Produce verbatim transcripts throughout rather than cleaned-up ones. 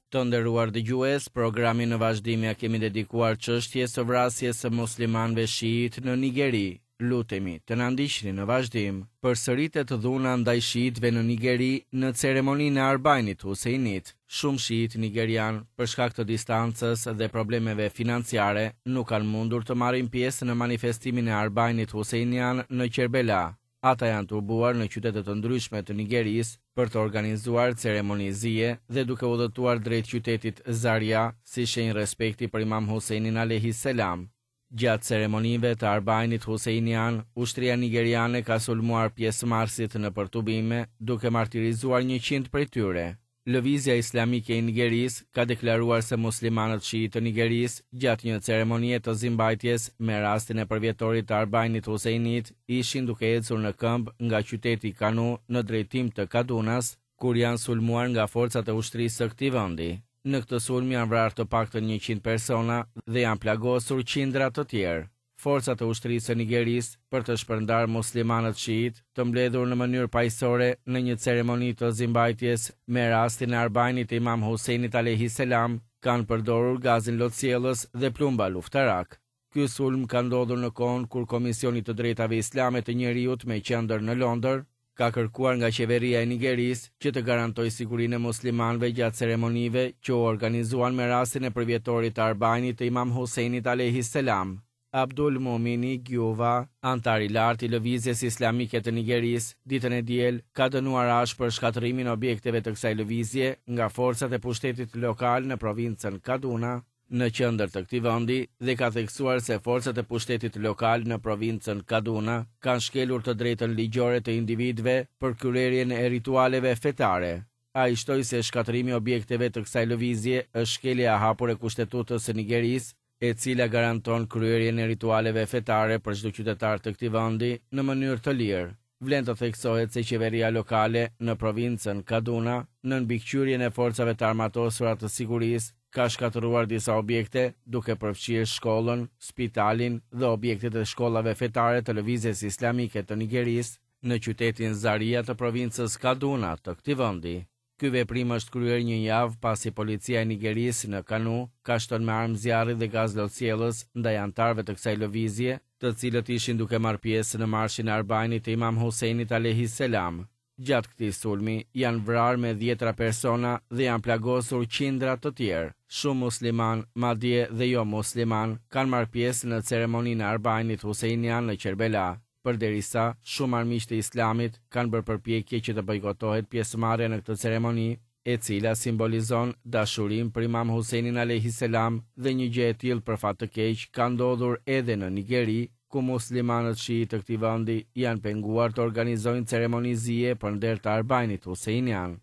Të nderuar dëgjues, programin në vazhdim ja kemi dedikuar çështjes së vrasjes së muslimanëve shiit në Nigeri. Lutemi të na ndiqni në vazhdim. Përsëritet dhuna ndaj shiitëve në Nigeri në ceremoninë e Arbainit Huseinit. Shumë shiit nigerian, për shkak të distancës dhe problemeve financiare, nuk kanë mundur të marrin pjesë në manifestimin e Arbainit Huseinian në Qerbela. Ata janë tubuar në qytete të ndryshme të Nigerisë për të organizuar ceremoni zie dhe duke udhëtuar drejt qytetit Zaria si shenjë respekti për Imam Huseinin alayhi selam. Gjatë ceremonive të Arbainit Huseinian, ushtria nigeriane ka sulmuar pjesëmarrësit në përtubime, duke martirizuar njëqind prej tyre. Lëvizja Islamike e Nigerisë ka deklaruar se muslimanët shiit të Nigerisë gjatë një ceremonie të zimbajtjes me rastin e përvjetorit të Arbainit Huseinit ishin duke ecur në këmbë nga qyteti Kanu në drejtim të Kadunas, kur janë sulmuar nga forcat e ushtrisë së këtij vendi. Në këtë sulm janë vrarë të paktën njëqind persona dhe janë plagosur qindra të tjerë. Forcat e ushtrisë së Nigerisë për të shpërndarë muslimanët shiit të mbledhur në mënyrë paqësore në një ceremoni të zimbajtjes me rastin e Arbainit të Imam Huseinit alayhi selam kanë përdorur gazin lotsjellës dhe plumba luftarak. Ky sulm ka ndodhur në kohën kur Komisioni i të Drejtave Islame të Njeriut me qendër në Londër ka kërkuar nga qeveria e Nigerisë që të garantojë sigurinë e muslimanëve gjatë ceremonive që u organizuan me rastin e përvjetorit të Arbainit të Imam Huseinit alayhi selam. Abdul Mumini Gyuva, antar i lartë i Lëvizjes Islamike të Nigerisë, ditën e diel ka dënuar ashpër shkatërrimin e objekteve të kësaj lëvizje nga forcat e pushtetit lokal në provincën Kaduna, në qendër të këtij vendi, dhe ka theksuar se forcat e pushtetit lokal në provincën Kaduna kanë shkelur të drejtën ligjore të individëve për kryerjen e ritualeve fetare. Ai shtoi se shkatërrimi i objekteve të kësaj lëvizje është shkelje e hapur e kushtetutës së Nigerisë, e cila garanton kryerjen e ritualeve fetare për çdo qytetar të këtij vendi në mënyrë të lirë. Vlen të theksohet se qeveria lokale në provincën Kaduna, nën mbikëqyrjen e forcave të armatosura të sigurisë, ka shkatërruar disa objekte, duke përfshirë shkollën, spitalin dhe objektet e shkollave fetare të Lëvizjes Islamike të Nigerisë në qytetin Zaria të provincës Kaduna të këtij vendi. Ky veprim është kryer një javë pasi policia e Nigerisë në Kanu ka shtënë me armë zjarri dhe gaz lotsjellës ndaj antarëve të kësaj lëvizje, të cilët ishin duke marrë pjesë në marshin e Arbainit të Imam Huseinit alayhi selam. Gjatë këtij sulmi janë vrarë me dhjetra persona dhe janë plagosur qindra të tjerë. Shumë musliman, madje dhe jo musliman, kanë marrë pjesë në ceremoninë e Arbainit Huseinian në Qerbela, përderisa shumë armiq të Islamit kanë bërë përpjekje që të bojkotohet pjesëmarrja në këtë ceremoni, e cila simbolizon dashurinë për Imam Huseinin alayhi selam, dhe një gjë e tillë për fat të keq ka ndodhur edhe në Nigeri, ku muslimanët shiit të këtij vendi janë penguar të organizojnë ceremoni zie për nder të Arbainit Huseinian.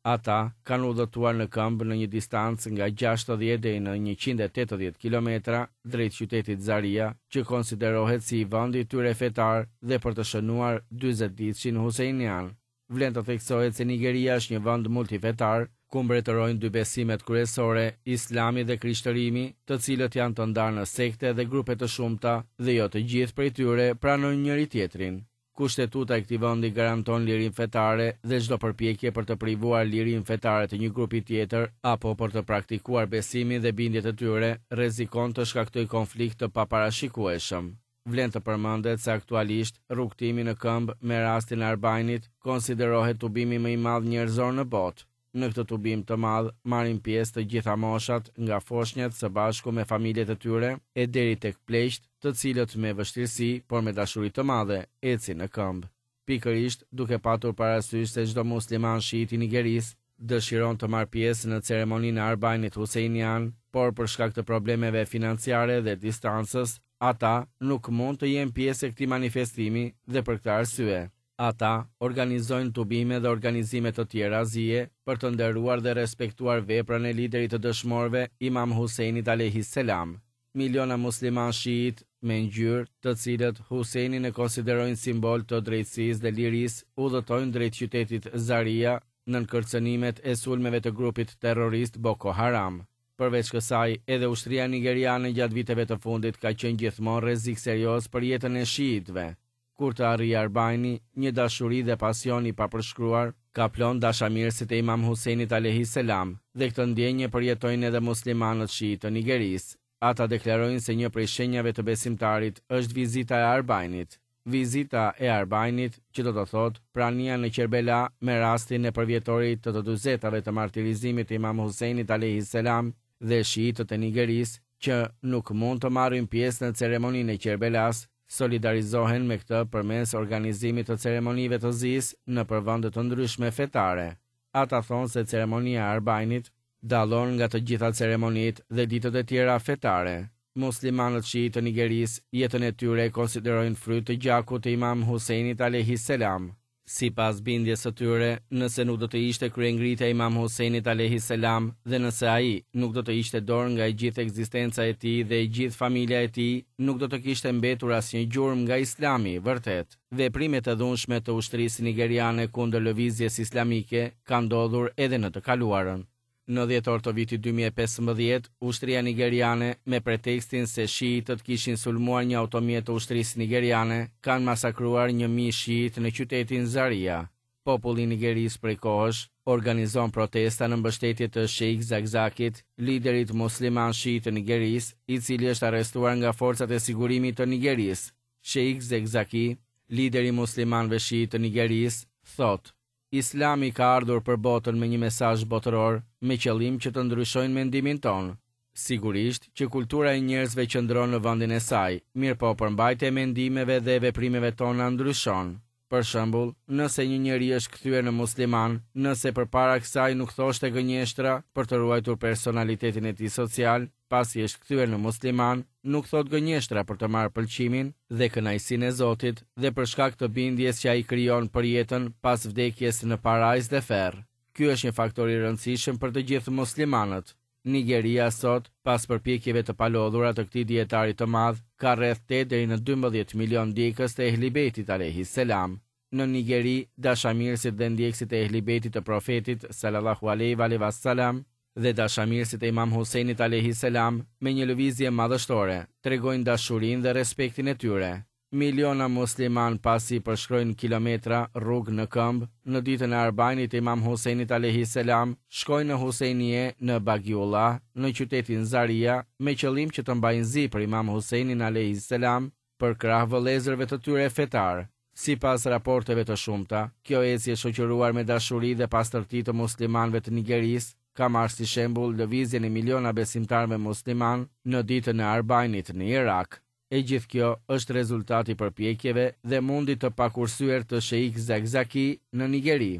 Ata kanë udhëtuar në këmbë në një distancë nga gjashtëdhjetë deri në njëqind e tetëdhjetë kilometra drejt qytetit Zaria, që konsiderohet si vendi i tyre fetar dhe për të shënuar dyzet ditëshin Huseinian. Vlen të theksohet se Nigeria është një vend multifetar, ku mbretërojnë dy besimet kryesore, Islami dhe Krishtërimi, të cilët janë të ndarë në sekte dhe grupe të shumta dhe jo të gjithë prej tyre pranojnë njëri tjetrin. Kushtetuta e këtij vendi garanton lirinë fetare dhe çdo përpjekje për të privuar lirinë fetare të një grupi tjetër apo për të praktikuar besimin dhe bindjet e tyre rrezikon të shkaktojë konflikt të paparashikueshëm. Vlen të përmendet se aktualisht rrugtimi në këmbë me rastin e Arbainit konsiderohet tubimi më i madh njerëzor në botë. Në këtë tubim të madh marrin pjesë të gjitha moshat, nga foshnjat së bashku me familjet e tyre e deri tek pleqt, të cilët me vështirësi, por me dashuri të madhe, ecin në këmbë. Pikërisht duke patur parasysh se çdo musliman shiit i Nigerisë dëshiron të marrë pjesë në ceremoninë e Arbainit Huseinian, por për shkak të problemeve financiare dhe distancës, ata nuk mund të jenë pjesë e këtij manifestimi dhe për këtë arsye ata organizojnë tubime dhe organizime të tjera zie për të nderuar dhe respektuar veprën e liderit të dëshmorëve Imam Huseinit alayhi selam. Miliona musliman shiit me ngjyrë, të cilët Huseinin e konsiderojnë simbol të drejtësisë dhe lirisë, udhëtojnë drejt qytetit Zaria nën kërcënimet e sulmeve të grupit terrorist Boko Haram. Përveç kësaj, edhe ushtria nigeriane gjatë viteve të fundit ka qenë gjithmonë rrezik serioz për jetën e shiitëve. Kur të arrijë Arbaini, një dashuri dhe pasion i papërshkruar kaplon dashamirësit e Imam Husejnit alejhi selam, dhe këtë ndjenjë e përjetojnë edhe muslimanët shiitë të Nigerisë. Ata deklarojnë se një prej shenjave të besimtarit është vizita e Arbainit. Vizita e Arbainit, që do të thotë prania në Qerbela me rastin e përvjetorit të të dyzetave të martirizimit të Imam Husejnit alejhi selam dhe shiitët e Nigerisë, që nuk mund të marrin pjesë në ceremoninë e Qerbelas, solidarizohen me këtë përmes organizimit të ceremonive të zisë nëpër vende të ndryshme fetare. Ata thonë se ceremonia e Arbainit dallon nga të gjitha ceremonitë dhe ditët e tjera fetare. Muslimanët shiitë të Nigerisë jetën e tyre e konsiderojnë fryt të gjakut të Imam Husejnit alejhi selam. Sipas bindjes së tyre, nëse nuk do të ishte kryengritja e Imam Husejnit alejhi selam dhe nëse ai nuk do të hiqte dorë nga e gjithë ekzistenca e tij dhe e gjithë familja e tij, nuk do të kishte mbetur asnjë gjurmë nga Islami i vërtetë. Veprimet e dhunshme të ushtrisë nigeriane kundër lëvizjes islamike kanë ndodhur edhe në të kaluarën. Në dhjetor të vitit dy mijë e pesëmbëdhjetë, ushtria nigeriane, me pretekstin se shiitët kishin sulmuar një automjet të ushtrisë nigeriane, kanë masakruar një mijë shiit në qytetin Zaria. Populli i Nigerisë prej kohësh organizon protesta në mbështetje të Sheikh Zakzakit, liderit musliman shiit të Nigerisë, i cili është arrestuar nga forcat e sigurimit të Nigerisë. Sheikh Zakzaki, lideri i muslimanëve shiit të Nigerisë, thotë: Islami ka ardhur për botën me një mesazh botëror, me qëllim që të ndryshojnë mendimin tonë. Sigurisht që kultura e njerëzve qëndron në vendin e saj, mirëpo përmbajtja e mendimeve dhe veprimeve tona ndryshon. Për shembull, nëse një njeri është kthyer në musliman, nëse përpara kësaj nuk thoshte gënjeshtra për të ruajtur personalitetin e tij social, pasi është kthyer në musliman, nuk thot gënjeshtra për të marrë pëlqimin dhe kënaqësinë e Zotit dhe për shkak të bindjes që ai krijon për jetën pas vdekjes në parajs dhe ferr. Ky është një faktor i rëndësishëm për të gjithë muslimanët. Nigeria sot, pas përpjekjeve të palodhura të këtij dietari të madh, ka rreth tetë deri në dymbëdhjetë milion ndjekës të Ehli Bejtit alejhi selam. Në Nigeri, dashamirësit dhe ndjekësit e Ehli Bejtit të Profetit sallallahu alejhi ve alejhi ve selam dhe dashamirësit e Imam Husejnit alejhi selam me një lëvizje madhështore tregojnë dashurinë dhe respektin e tyre. Miliona musliman pasi përshkrojnë kilometra rrugë në këmbë, në ditën e Arbainit të Imam Husejnit alejhi selam, shkojnë në Husejnie në Bagiullah, në qytetin Zaria, me qëllim që të mbajnë zi për Imam Husejnin alejhi selam, për krah vëllezërve të tyre fetar. Sipas raporteve të shumta, kjo ecje e shoqëruar me dashuri dhe pastërti të muslimanëve të Nigerisë ka marrë si shembull lëvizjen e miliona besimtarëve musliman në ditën e Arbainit në Irak. E gjithë kjo është rezultati i përpjekjeve dhe mundit të pakursyer të Sheikh Zakzaki në Nigeri.